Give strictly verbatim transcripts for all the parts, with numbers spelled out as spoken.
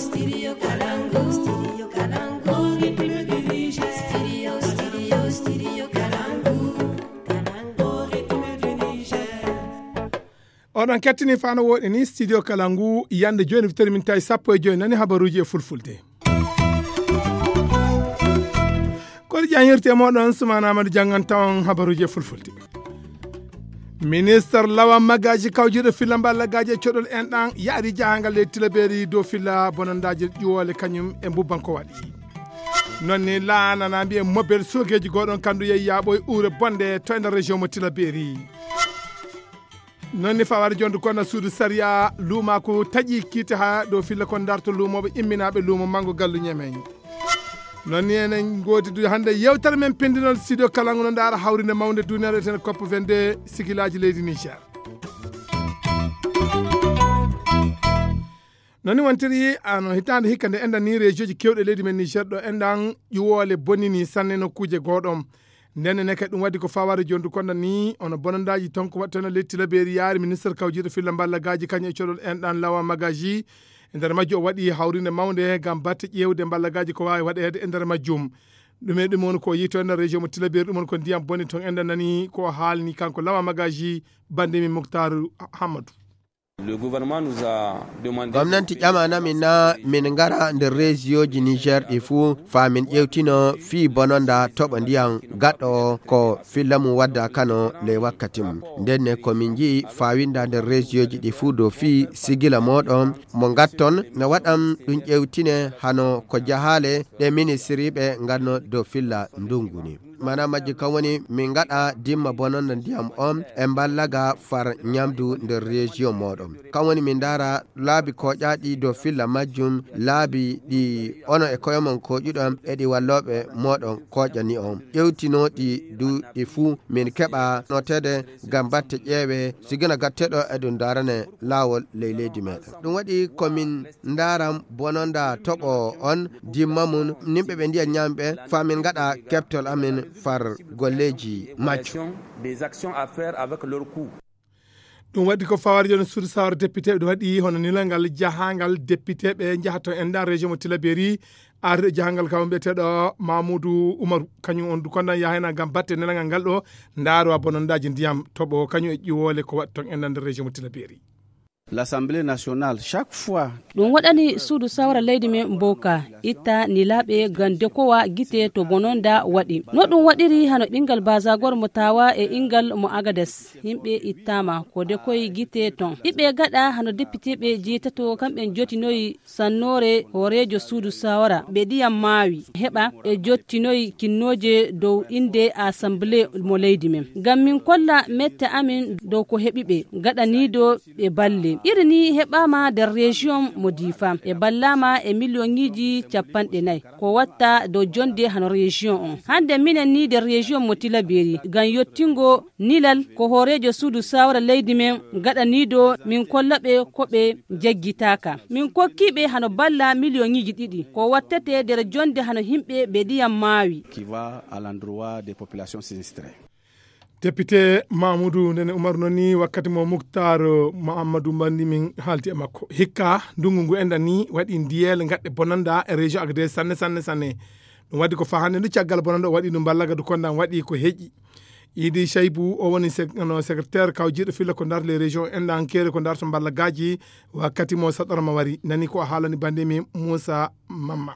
Studio Kalangu, Studio Kalangu, République du Niger. Studio, Studio, Studio Kalangu, Kalangu, République du Niger. Oɗon kettini fano woɗi ni Studio Kalangu, yande joni fitori min tawi sappo e joyi nani habaruji e fulfulde. Kono jan hirte moɗon sumana amadu jangan tawon habaruji e fulfulde. Ministre lawan magaji kawjiɗo filla mballagaji e coɗol en ɗan yaari jahangal leydi tilaberi dow filla bonandaji ƴuwole kañum e mbubban ko waɗi. Non ni laanana mbiye mobel sogeji goɗon kandu yeyi yaɓoy ure bonde to e nder région mo tilaberi. Non ni fawar jondu konna suudu sariya lumaku taƴi kiite ha dow filla kon darto lumoɓe imminaɓe lumo mango gallu ñemen. Non ni enen godi du hande yewtere men pindinol studio kalangu no ndara hawrinde mawde duniyaaru eten cop vingt-deux sigilaji leydi niger. Non ni wontiri ano hitande hikka nde enɗan ni région ji kewɗe leydi men niger ɗo enɗan ƴuwole bonnini sanne nokkuje goɗon. Nden ne kadi ɗum waɗi ko faware jondu konda ni ono bonondaji ton ko waɗtano letti laberi yaari ministre kawjiɗo filla mballagaji kañum e coɗol enɗan lawa magaji. E nder majjum o waɗi hawrinde mawnde ngam batte ƴeewde mballagaaji ko waawi waɗeede e nder majjum. Ɗum e ɗum woni ko yiyto e nder région mo tilaberi ɗum woni ko ndiyam boni toon enɗan nani ko haalni kanko lama magaji bande min muktar. Hammadou. Gomnanti ƴamanamin na min ngara nder région ji niger ɗi fuu faa min ƴewtino fii bononda toɓo ndiyam gaɗɗo o ko filla mum wadda kano ley wakkati mum. Nden ne ko min nji'i faa winda nder région ji ɗi fuu dow fii sigila mooɗon mo ngatton no waɗan ɗum ƴewtine hano ko jahaale ɗe ministiriiɓe nganno dow filla ndungu ni. Mana majji kan woni min ngaɗa dimma bononda ndiyam on e mballaga far ñamdu nder région mooɗon. Kan woni min ndaara laabi koƴaaɗi dow filla majjum laabi ɗi ono e koyomon koƴuɗon e ɗi wallooɓe mooɗon koƴani on ƴewtinooɗi du ɗi fuu min keɓa noteede ngam batte ƴeewe sigina gatteɗo e ɗum daarane laawol ley leydi meɗen. Ɗum waɗi ko min ndaaran bononda toɓo on dimma mum nimɓe ɓe ndiya ñamɓe faa min ngaɗa keɓtol amin far golleeji majjum. Des actions à faire avec leur coût. Ɗum waɗi ko fawari joni suudu sawara député ɓe waɗi hono nilal ngal jahangal député ɓe njaha toon en ɗan région mo tilaberi. Arde jahangal kam mbiyeteɗo mamoudou oumarou kañum on du kondan yahayna ngam batte nelagal ngal ɗo. Ndaaro a bonondaji ndiyam toɓo kañum e ƴiwole ko waɗi toon en ɗan nder région mo tilaberi. L'assemblée nationale chaque fois. Ɗum waɗani suudu sawara leydi men mboka itta nilaaɓe ngam dekowa gite to bononda waɗi no ɗum waɗiri hano ɓingal basagor mo tawa e ingal mo agades. Yimɓe ittama ko dekoy gite ton ɓiɓɓe gaɗa hano depiteɓe jeetato kamɓe jotinoyi sannore hooreejo suudu sawara ɓe ndiyam maawi heɓa e jottinoyi kinnooje dow innde assemblée mo leydi men ngam min kolla mette amin dow ko heɓiɓe gaɗaniido ɓe balle iri ni heɓama nder région mo difa ɓe ballama e million ŋiji capanɗe nayi ko watta dow jonde hano région on hande minen ni nder région mo tilaberi ngam yottingo nilal ko hooreejo suudu sawara leydi men gaɗaniido min kolla ɓe ko ɓe jaggitaka min kokkiɓe hano balla million ŋiji ɗiɗi ko wattete nder jonde hano himɓe ɓe ndiyam maawi. Qui va à l'endroit des populations sinistrées. Député mamoudou ndene oumar noon ni wakkati mo muktar mouhammadou mbandi min haalti e makko hikka ndungu ngu enɗan ni waɗi ndiyele gaɗɗe bonanda e région agde sanne sanne sanne. Ɗum waɗi ko fahande ndu caggal bonanda o waɗi ndu mballaga ndu kondan waɗi ko heƴi. Idi chaybu o woni no secrétaire kawjiɗo filla ko darto les région enɗan keere ko darto mballagaji. Wakkati mo saɗorma wari nani ko haalani bandemi moussa mamma.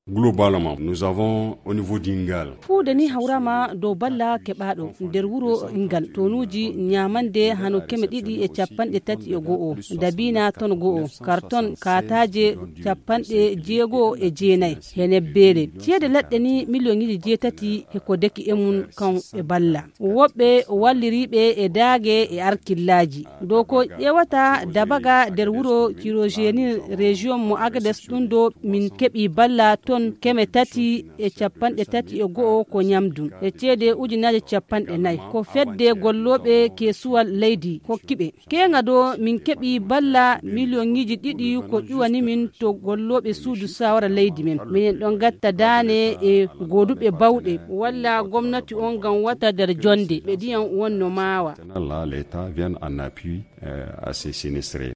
Globalement nous avons au niveau dingal. Fuude ni hawrama dow balla keɓaɗo nder wuro ingal tonuji ñamande hano keme ɗiɗi e capanɗe tati e go'o dabina ton go'o karton kataje capanɗe jeego'o e jeenayi he nebbere ceede laɗɗe ni million iji jeetati he ko deki e mum kan e balla woɓɓe walliriɓe e daage e arkillaaji dow ko ƴewata dabaga nder wuro kirogeni région mo agades ɗum ɗo min keɓi balla ton keme tati e capanɗe tati e go'o ko ñamdu e ceede ujunaaji capanɗe nayi ko fedde gollooɓe keesuwal leydi hokkiɓe keeŋa ɗo min keɓi balla miliyoŋiiji ɗiɗi ko ƴuwani min to gollooɓe suudu sawara leydi men minen ɗon gatta daane e gooduɓe bawɗe walla gomnati on ngam wata nder jonde ɓe ndiyam wonno maawa. Là l'état vient en appui à ces sinistrés.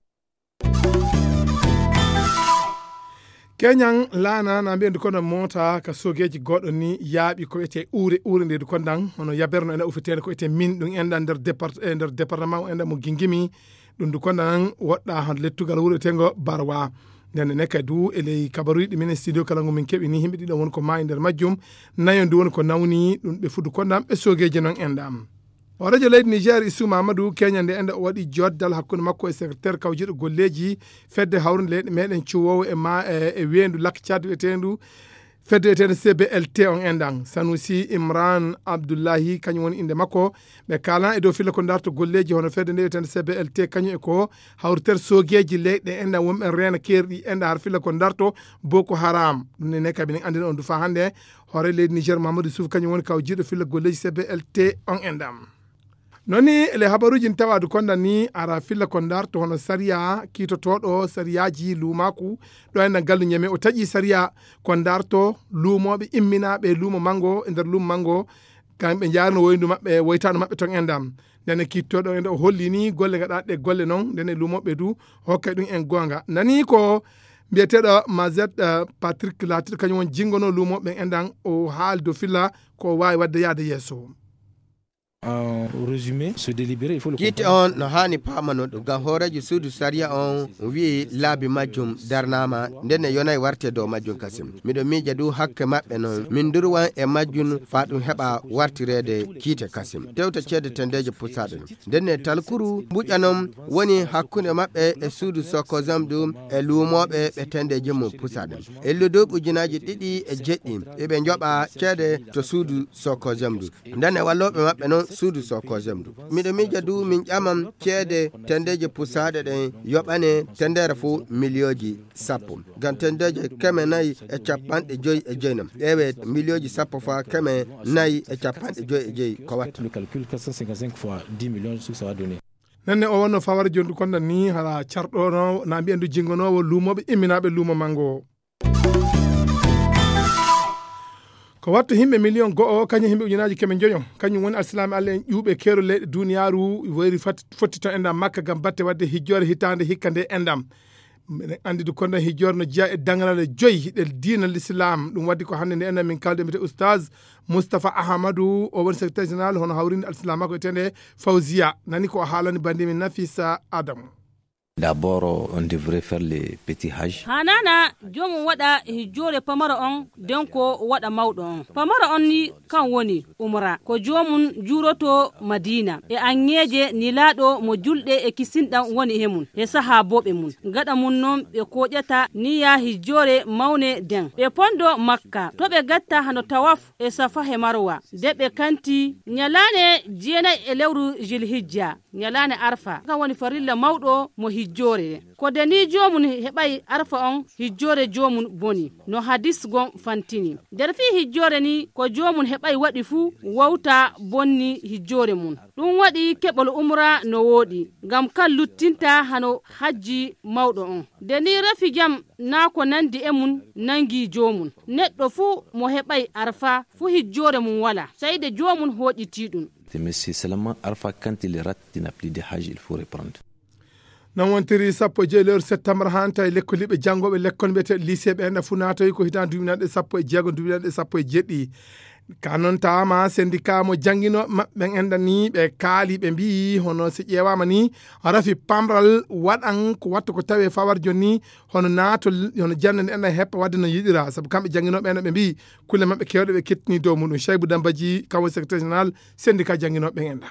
Keñan laana na mbiyen du kondan moota ka soogeeji goɗɗo ni yaaɓi ko wiyetee uure uure nde du kondan hono yaberno ena ufeteende ko wiyetee min ɗum enɗan nder départ e nder département o enɗan mo gingimi. Ɗum du kondan woɗɗa han lettugal wuro wiyeteengo barwa. Nden ne kadi du e ley kabaruuji ɗi minen studio kala ngu min keɓi ni yimɓe ɗiɗo woni ko maayi nder majjum. Nayo ndu woni ko nawni ɗum ɓe fuddu kondan ɓe soogeeji noon enɗan. O radio leydi niger isu mamadou keñande ende o waɗi joddal hakkunde makko e secrétaire kawjiɗo golleeji fedde hawrunde leyɗe meɗen cuwoowo e ma e e weendu lakcad wiyeteendu fedde wiyeteendu cblt on enɗan sanusi imran abdoullahi kañum woni innde makko. Ɓe kaalan e dow filla ko darto golleeji hono fedde nde wiyeteendu cblt kañum e ko hawritere soogeeji leyɗe enɗan wonɓe reena keerɗi enɗan har filla ko darto boko haram ɗum ne ne kabi nen anndina on du faa hannde. Hoore leydi niger mamadou souf kañum woni kaw jiiɗo filla golleeji cblt on enɗan. Noon ni ele habaruuji n tawaadu konda ni ara filla ko darto hono sariya kiitotooɗo sariyaaji luumaaku ɗo enɗan gallu ñeme o taƴi sariya ko darto luumooɓe imminaaɓe luumo manngo e nder luumo manngo. Kamɓe njaarno woyndu maɓɓe woytaandu maɓɓe toon enɗan. Ndene kiittooɗo enɗa o holli ni golle gaɗaaɗe golle noon ndene luumooɓe du hokkay ɗum en goonga nani ko mbiyeteeɗo mazet patrick laatiɗo kañum won jinngono luumooɓe enɗan o haali dow filla ko waawi waɗde yahde yeeso. Kiite on no haani paamano ɗum ngam hooreejo suudu sariya on wi'i laabi majjum darnaama nden ne yonay warte dow majjum kasim. Miɗo miija du hakke maɓɓe non min ndurwan e majjum faa ɗum heɓa wartireede kiite kasim tewta ceede tendeeje pusaaɗe ɗum. Nden ne talkuru mbuƴa non woni hakkunde maɓɓe e suudu sokozam ɗum e luumooɓe ɓe tendeeji mum pusaaɗe ɗum. Illudu ujunaaji ɗiɗi e jeɗɗi eɓe njoɓa ceede to suudu sokozam ɗum. Ndene wallooɓe maɓɓe non suudu sokozam ɗum. Miɗo miija du min ƴaman ceede tendeeje pusaaɗe ɗen yoɓane tendeere fof miliyooji sappo. Ngam tendeeje keme nayi e capanɗe joyi e joyi non ƴeewe miliyooji sappo faa keme nayi e capanɗe joyi e joyi ko watta. Nenne o wonno fawara jondu konda ni hara carɗono na mbiyen du jingonoowo luumooɓe imminaaɓe luumo manngo. Ko wattu himɓe miliyon go'o kañum himɓe ujunaaji keme njoyo kañum woni alsilaami allah en ƴuuɓe keero leyɗe duniyaaru woyri fotti to enɗam makka ngam batte waɗde hijjoore hitaande hikka nde enɗam. Miɗen anndi du konda hijjoore no jeya e daŋrale joyi hiɗe diina l'islam ɗum waddi ko hannde nde enɗam min kalde mbiyete oustaz moustapha ahamadou o woni secrétaire général hono hawrinde alsilamako etende fawziya nani ko o haalani bandimi nafisa adamu. D'abord, on devrait faire les petits hajj. Hanana jomum waɗa hijjoore pamaro on den ko waɗa mawɗo on pamaro on ni kan woni umra ko jomum juuroto madina e anŋeeje nilaaɗo mo julɗe e kisinɗam woni he mum he sahaabooɓe mum gaɗa mum non ɓe kooƴata niya hijjoore mawne den ɓe pondo makka to ɓe gatta hano tawaf e safa he marwa de ɓe kanti ñalaane jeenay e lewru jilhijja ñalaane arfa kan woni farilla mawɗo mo hijjoore ko de ni joomum heɓay arfa on hijjoore joomum boni no hadis gon fantini nder fii hijjoore ni ko joomum heɓay waɗi fuu wawta bonni hijjoore mum ɗum waɗi keɓol umra no wooɗi ngam kan luttinta hano hajji mawɗo on de ni rafi jam naa ko nandi e mum nangi joomum neɗɗo fuu mo heɓay arfa fuu hijjoore mum wala sayde joomum hooƴitii ɗum. Mais c'est seulement Arfa quand il rate, il n'a plus de hajj, il faut reprendre. Non wontiri sappo e joyi lewru septembre han tawi lekkoliɓe janngooɓe lekkol mbiyete lycée ɓe enɗa fuu naatoyi ko hitan duminaɗe sappo e jeego duminaɗe sappo e jeɗɗi. Ka noon tawama syndicat mo jannginooɓe maɓɓe ɓen enɗa ni ɓe kaali ɓe mbiyi hono si ƴeewaama ni rafi pamral waɗan ko watta ko tawi e fawar joni hono naatol hono jannde nde enɗa heppa wadde no yiɗira sabu kamɓe jannginooɓe enɗa ɓe mbiyi kulle maɓɓe kewɗe ɓe kettini dow muɗum cheybu dambaji kawo secrétaire général syndicat jannginooɓe ɓen enɗa.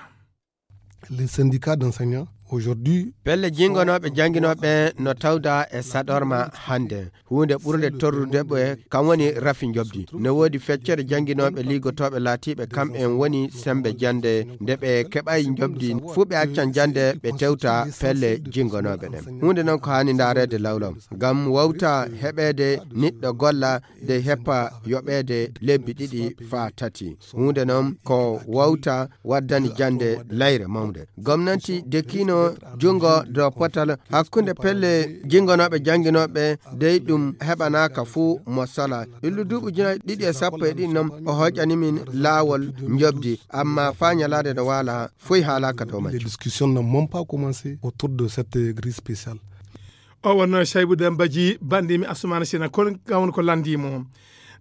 Les syndicats d'enseignants aujourd'hui. Pelle jingonooɓe jannginooɓe no tawda e saɗorma hannde huunde ɓurnde torrude ɓe kam woni rafi njobdi no woodi feccere jannginooɓe liigotooɓe laatiiɓe kam en woni semmbe jannde nde ɓe keɓay njobdi fuu ɓe accan jannde ɓe tewta pelle jingonooɓe ɗen huunde noon ko haani ndaareede lawlaw ngam wawta heɓeede niɗɗo golla de heppa yoɓeede lebbi ɗiɗi faa tati huunde noon ko wawta waddani jannde layre mawnde gomnanti dekiino junngo dow potal hakkunde pelle jinngonooɓe jannginooɓe dey ɗum heɓanaaka fuu mo sala illu duuɓi ujunaaji ɗiɗi e sappo e ɗiɗi noon o hoƴani min laawol njobdi amma faa ñalaade no waala foy haalaaka dow majjum. Discussion n'ont même pas commencé autour de cette grille spéciale. O wonno Saybu Dembaji, banndi mi Asumana Sina, kon gawon ko lanndi mo.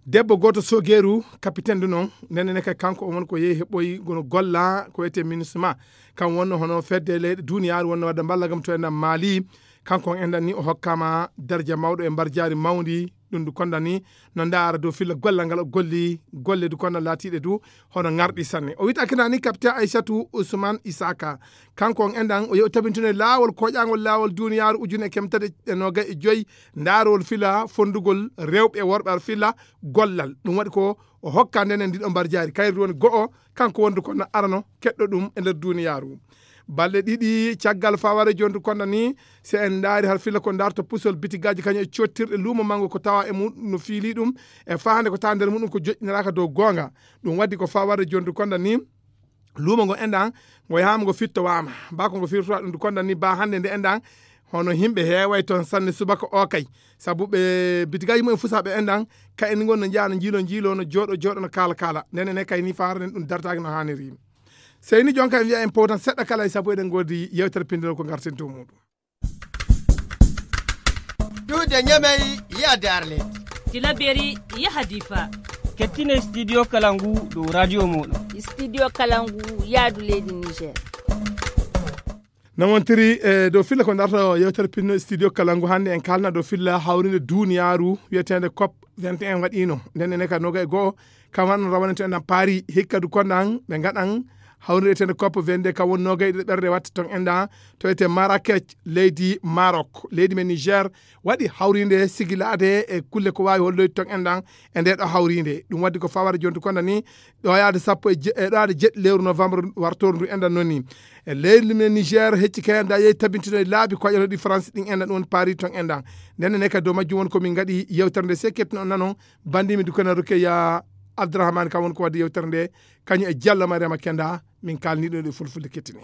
Debbo gooto sogeeru, kapiten du noon, nene ne kay kanko o won ko yehi heɓoyi gono golla ko wiyetee MINUSMA. Kan wonno hono fedde leyɗe duniyaaru wonno wadde mballa gam to en Mali. Kanko on enɗan ni o hokkama darja mawɗo e mbarjaari mawndi, ɗum du konɗan ni no ndaara dow filla gollal ngal o golli, golle du konɗan laatiiɗe du hono ŋarɗi sanne. O wiyta kinani kapiten Aysatu Usman Isaka. Kanko on enɗan o yehi o tabintino e laawol koƴaangol laawol duniyaaru ujune kemtade e noogay e joyi, ndaarol filla fondugol rewɓe e worɓe ar filla gollal. Ɗum waɗi ko o hokka nden en ndiɗo mbarjaari. Kayri woni go'o, kanko wondu konɗan arano keɗɗo ɗum e nder duniyaaru. Balɗe ɗiɗi caggal faware jondu konɗan ni, si en ndaari har filla ko ndarto pusol bitigaaji kañum e cottirɗe luumo manngo ko tawa e muɗum no fiili ɗum, e fahande ko tawa nder muɗum ko joƴƴiniraaka dow goonga. Ɗum waddi ko faware jondu konɗan ni, luumo ngo enɗan, ngo yahaama ngo fittowaama. Ba ko ngo firtowa ɗum du konɗan ni ba hannde nde enɗan, hono yimɓe heeway toon sanne subaka o kay. Sabu ɓe bitigaaji mumen fusa ɓe enɗan, ka en ngon no njaha no njiilo njiilo, no jooɗo jooɗo, no kaala kaala. Nden enen kay ni faaren ɗum dartaaki no haaniri. Sey ni jonka en wiya en powtan seɗɗa kala e sabu eɗen ngoodi yewtere pindol ko ngarten dow muɗum. Duude Ñamey, yaade Arlet. Tilaberi, yaha Difa. Kettine Studio Kalangu dow radio mooɗon. Studio Kalangu, yaadu leydi Niger. No wontiri e dow filla ko ndarto yewtere pinno Studio Kalangu. Hannde en kalna dow filla hawrinde duniyaaru wiyeteende COP vingt et un waɗiino. Nden ene ka noga e go'o, kam han rawane to en paari hikka du konɗan ɓe ngaɗan hawrinde wiyeteende COP vingt-deux, kam woni noga e ɗiɗo ɓerde watta ton enɗan to wiyetee Marrakech, leydi Maroc. Leydi men Niger waɗi hawrinde sigilaade e kulle ko waawi holloyde ton enɗan e nde ɗo hawrinde. Ɗum waddi ko fawade jonti konɗan ni ɗo yaade sappo e je-, e ɗo yaade jeɗɗi lewru novembre wartoru ndu enɗan noon ni. E leydi men Niger hecci kay anda yehi tabintino e laabi ko waɗano ɗi France ɗin enɗan ɗum woni Paris ton enɗan. Nden ne kadi dow majjum woni ko min ngaɗi yewtere nde sekketno on nanon bandimi du kono Rukeya Abdourahmane kam woni ko wadde yewtere nde kañum e Diallo Mariama Kenda min kalni ɗo ɗe fulfulde kettini.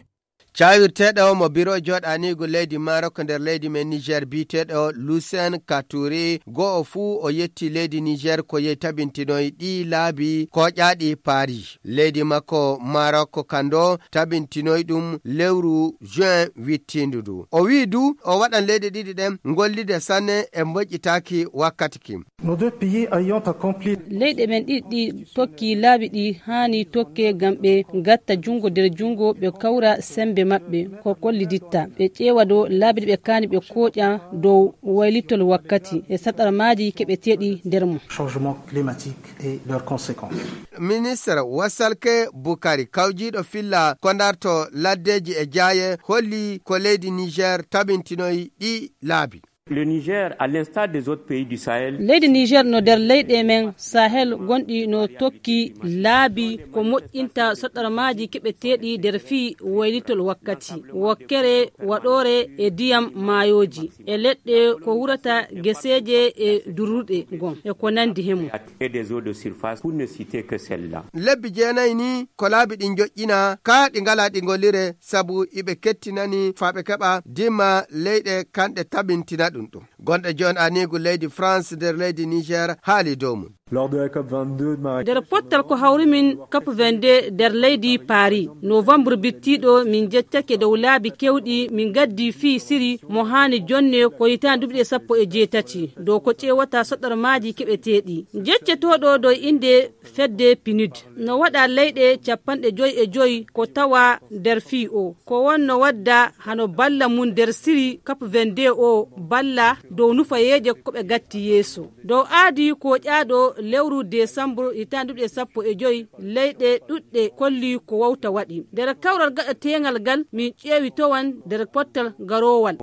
Cawirteeɗo mo biro jooɗaniigu leydi Maroc nder leydi men Niger biyeteeɗo Lucien Katouri, go'o fuu o yetti leydi Niger ko yehi tabintinoy ɗi laabi koƴaaɗi Paris. Leydi makko Maroc kando tabintinoy ɗum lewru juin wittiindu ndu. O wi'i du o waɗan leyɗe ɗiɗi ɗen ngollide sanne e moƴƴitaaki wakkati kin. Nos deux pays ayant accompli. Leyɗe men ɗiɗi ɗi tokki laabi ɗi haani tokke ngam ɓe ngatta junngo nder junngo, ɓe kawra semmbe maɓɓe, ko kolliditta. Ɓe ƴeewa dow laabi ɗi ɓe kaani ɓe kooƴa dow waylitol wakkati e saɗarmaaji keɓeteeɗi nder mum. Changement climatique et leurs conséquences. Ministre Wasalke Bukari, kawjiiɗo filla ko ndarto laddeeji e jaaye, holli ko leydi Niger tabintinoy ɗi laabi. Le Niger, à l'instar des autres pays du Sahel. Leydi Niger no nder leyɗe men Sahel gonɗi no tokki laabi ko moƴƴinta soɗɗormaaji keɓeteeɗi nder fii waylitol wakkati, wakkere waɗoore e diyam maayooji, e leɗɗe ko wurata geseeje e durruɗe gon, e ko nandi he mum. Et des eaux de surface, pour ne citer que celle-là. Lebbi jeenayi ni ko laabi ɗi njoƴƴina, kaa ɗi ngalaa ɗi ngollire, sabu iɓe kettinani faa ɓe keɓa dimma leyɗe kanɗe tabintina ɗum ɗum. Gonɗo jooni aniigu leydi France nder leydi Niger haali dow mum. Lors de la COP vingt-deux de Marrakech. Nder pottal ko hawri min COP vingt-deux nder leydi Paris, novembre bittiiɗo, min njeccake dow laabi kewɗi min ngaddi fii siri mo haani jonne ko hitaande duuɓi ɗe sappo e jeetati, dow ko ƴeewata soɗɗormaaji keɓeteeɗi. Njeccetooɗo dow innde fedde pinud. No waɗa leyɗe capanɗe joy e joy ko tawa nder fii o. Ko wonno wadda hano balla mum nder siri COP vingt-deux o balla dow nufayeeje ko ɓe gatti yeeso. Dow aadi ko ƴaaɗo lewru desambur hitaande duuɓi ɗe sappo e joy, leyɗe ɗuɗɗe kolli ko wawta waɗi. Nder kawral gaɗateengal ngal, min ƴeewi towan nder pottal garoowal.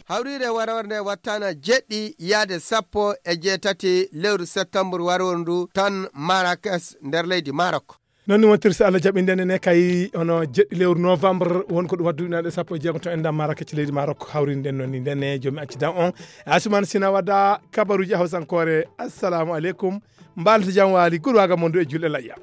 Hawriire waroore nde wattana jeɗɗi yaade sappo e jeetati lewru septembre waroru ndu tan Marrakech nder leydi Maroc. Noon ni wontirsi Allah jaɓi nden ne kay hono jeɗɗi lewru novembre won ko ɗum waddu ɗinaɗe sappo e jeego to enɗan Marrakech leydi Maroc hawrinde nden noon ni nden ne jomi accidan on. Asumana Sina wadda kabaruji hawsankoore. Assalamu aleykum. Mbaalata jam waali gurwaga mondu e julɗe layya.